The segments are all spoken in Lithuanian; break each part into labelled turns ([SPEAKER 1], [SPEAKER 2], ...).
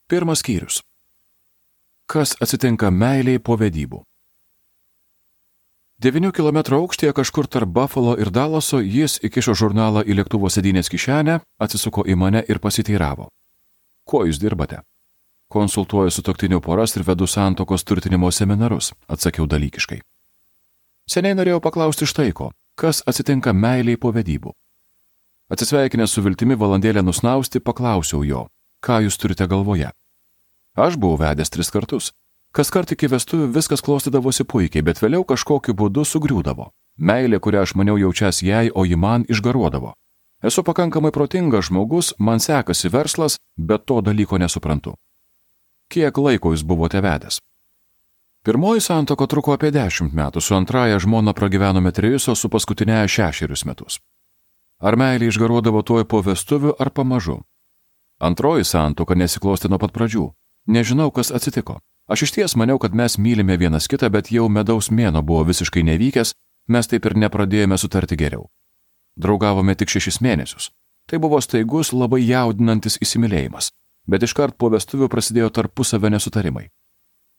[SPEAKER 1] Pirmas skyrius. Kas atsitinka meilei po vedybų? 9 km aukštyje kažkur tarp Buffalo ir Dallaso jis įkišo žurnalą į lėktuvo sėdynės kišenę, atsisuko į mane ir pasiteiravo. Kuo jūs dirbate? Konsultuoju sutuoktinių poras ir vedu santuokos turtinimo seminarus, atsakiau dalykiškai. Seniai norėjau paklausti štai ko, kas atsitinka meiliai po vedybų. Atsisveikinęs su viltimi valandėlę nusnausti, paklausiau jo, ką jūs turite galvoje. Aš buvau vedęs 3 kartus. Kaskart iki vestuvių viskas klostydavosi puikiai, bet vėliau kažkokiu būdu sugriūdavo. Meilė, kurią aš maniau jaučias jai, o ji man išgaruodavo. Esu pakankamai protingas žmogus, man sekasi verslas, bet to dalyko nesuprantu. Kiek laiko jūs buvote vedęs? Pirmoji santuoka truko apie 10 metų, su antraja žmona pragyvenome 3, o su paskutinėje 6 metus. Ar meilė išgaruodavo tuoj po vestuvių ar pamažu? Antroji santuoka nesiklosti nuo pat pradžių. Nežinau, kas atsitiko. Aš išties maniau, kad mes mylime vienas kitą, bet jau medaus mėnuo buvo visiškai nevykęs, mes taip ir nepradėjome sutarti geriau. Draugavome tik 6 mėnesius. Tai buvo staigus, labai jaudinantis įsimylėjimas, bet iškart po vestuvių prasidėjo tarpusavio nesutarimai.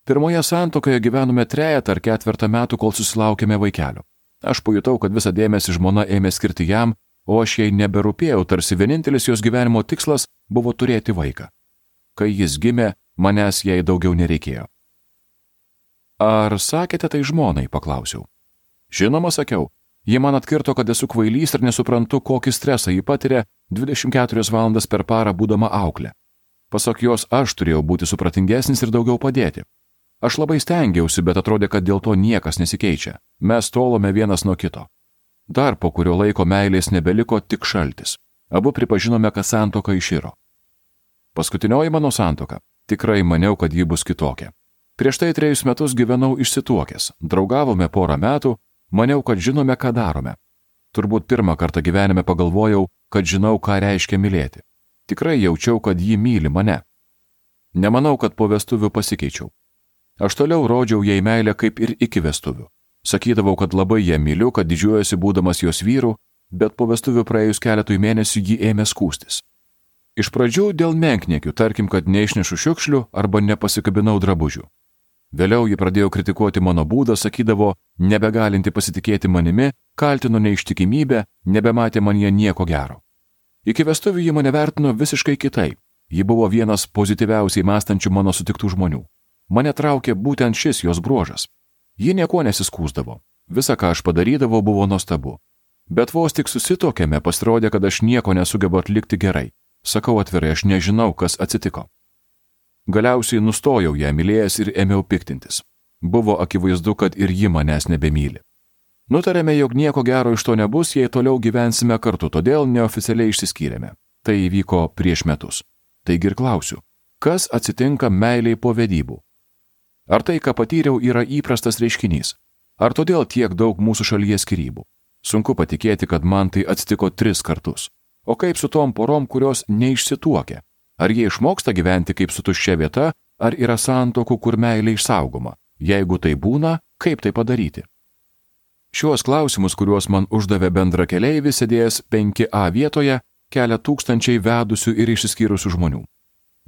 [SPEAKER 1] Pirmoje santuokoje gyvenome 3 ar 4 metų, kol susilaukėme vaikelio. Aš pajutau, kad visą dėmesį žmona ėmė skirti jam, o aš jai neberūpėjau, tarsi vienintelis jos gyvenimo tikslas buvo turėti vaiką. Kai jis gimė, manęs jai daugiau nereikėjo. Ar sakėte tai žmonai, paklausiau. Žinoma, sakiau. Ji man atkirto, kad esu kvailys ir nesuprantu, kokį stresą ji patiria 24 valandas per parą būdama auklė. Pasak jos, aš turėjau būti supratingesnis ir daugiau padėti. Aš labai stengiausi, bet atrodė, kad dėl to niekas nesikeičia. Mes tolome vienas nuo kito. Dar po kurio laiko meilės nebeliko, tik šaltis. Abu pripažinome, kad santuoka iširo. Paskutinioji mano santuoka. Tikrai maniau, kad ji bus kitokia. Prieš tai 3 metus gyvenau išsituokęs, draugavome porą metų, maniau, kad žinome, ką darome. Turbūt pirmą kartą gyvenime pagalvojau, kad žinau, ką reiškia mylėti. Tikrai jaučiau, kad ji myli mane. Nemanau, kad po vestuvių pasikeičiau. Aš toliau rodžiau jai meilę kaip ir iki vestuvių. Sakydavau, kad labai ją myliu, kad didžiuojasi būdamas jos vyru, bet po vestuvių praėjus keletui mėnesių ji ėmė skųstis. Iš pradžių dėl menkniekių, tarkim, kad neišnešu šiukšlių arba nepasikabinau drabužių. Vėliau ji pradėjo kritikuoti mano būdą, sakydavo, nebegalinti pasitikėti manimi, kaltino neištikimybę, nebematė manyje nieko gero. Iki vestuvių ji mane vertino visiškai kitaip. Ji buvo vienas pozityviausiai mąstančių mano sutiktų žmonių. Mane traukė būtent šis jos bruožas. Ji nieko nesiskųsdavo. Visa, ką aš padarydavau, buvo nuostabu. Bet vos tik susitokėme, pasirodė, kad aš nieko nesugebu atlikti gerai. Sakau atvirai, aš nežinau, kas atsitiko. Galiausiai nustojau ją mylėjęs ir ėmiau piktintis. Buvo akivaizdu, kad ir ji manęs nebemyli. Nutarėme, jog nieko gero iš to nebus, jei toliau gyvensime kartu, todėl neoficialiai išsiskyrėme. Tai įvyko prieš metus. Taigi ir klausiu, kas atsitinka meiliai po vedybų? Ar tai, ką patyriau, yra įprastas reiškinys? Ar todėl tiek daug mūsų šalyje skyrybų? Sunku patikėti, kad man tai atsitiko 3 kartus. O kaip su tom porom, kurios neišsituokia? Ar jie išmoksta gyventi kaip su tuščia vieta, ar yra santuokų, kur meilė išsaugoma? Jeigu tai būna, kaip tai padaryti? Šiuos klausimus, kuriuos man uždavė bendrakeleivis sėdėjęs 5A vietoje, kelia tūkstančiai vedusių ir išsiskyrusių žmonių.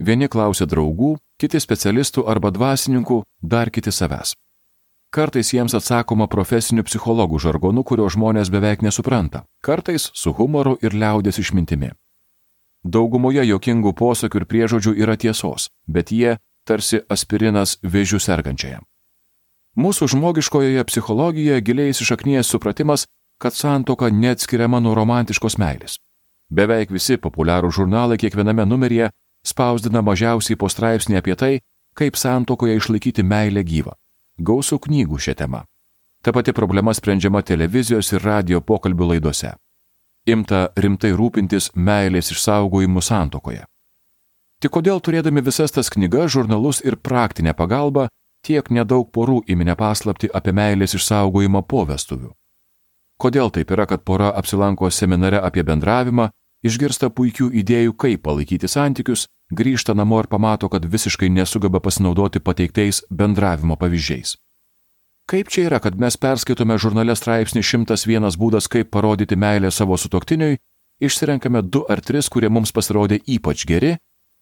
[SPEAKER 1] Vieni klausia draugų, kiti specialistų arba dvasininkų, dar kiti savęs. Kartais jiems atsakoma profesinių psichologų žargonu, kurio žmonės beveik nesupranta, kartais su humoru ir liaudies išmintimi. Daugumoje juokingų posakių ir priežodžių yra tiesos, bet jie tarsi aspirinas vėžiu sergančiajam. Mūsų žmogiškojoje psichologijoje giliai įsišaknijęs supratimas, kad santuoka neatskiriama nuo romantiškos meilės. Beveik visi populiarūs žurnalai kiekviename numeryje spausdina mažiausiai po straipsnį apie tai, kaip santuokoje išlaikyti meilę gyvą. Gausų knygų šią temą. Ta pati problema sprendžiama televizijos ir radio pokalbių laidose. Imta rimtai rūpintis meilės išsaugojimu santuokoje. Tik kodėl turėdami visas tas knygas, žurnalus ir praktinę pagalbą, tiek nedaug porų įminė paslaptį apie meilės išsaugojimą po vestuvių? Kodėl taip yra, kad pora apsilanko seminare apie bendravimą, išgirsta puikių idėjų, kaip palaikyti santykius, grįžta namo ir pamato, kad visiškai nesugeba pasinaudoti pateiktais bendravimo pavyzdžiais? Kaip čia yra, kad mes perskaitome žurnale straipsnį 101 būdas, kaip parodyti meilę savo sutuoktiniui, išsirenkame 2 ar 3, kurie mums pasirodė ypač geri,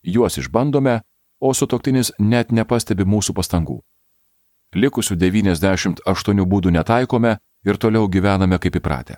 [SPEAKER 1] juos išbandome, o sutuoktinis net nepastebi mūsų pastangų. Likusių 98 būdų netaikome ir toliau gyvename kaip įpratę.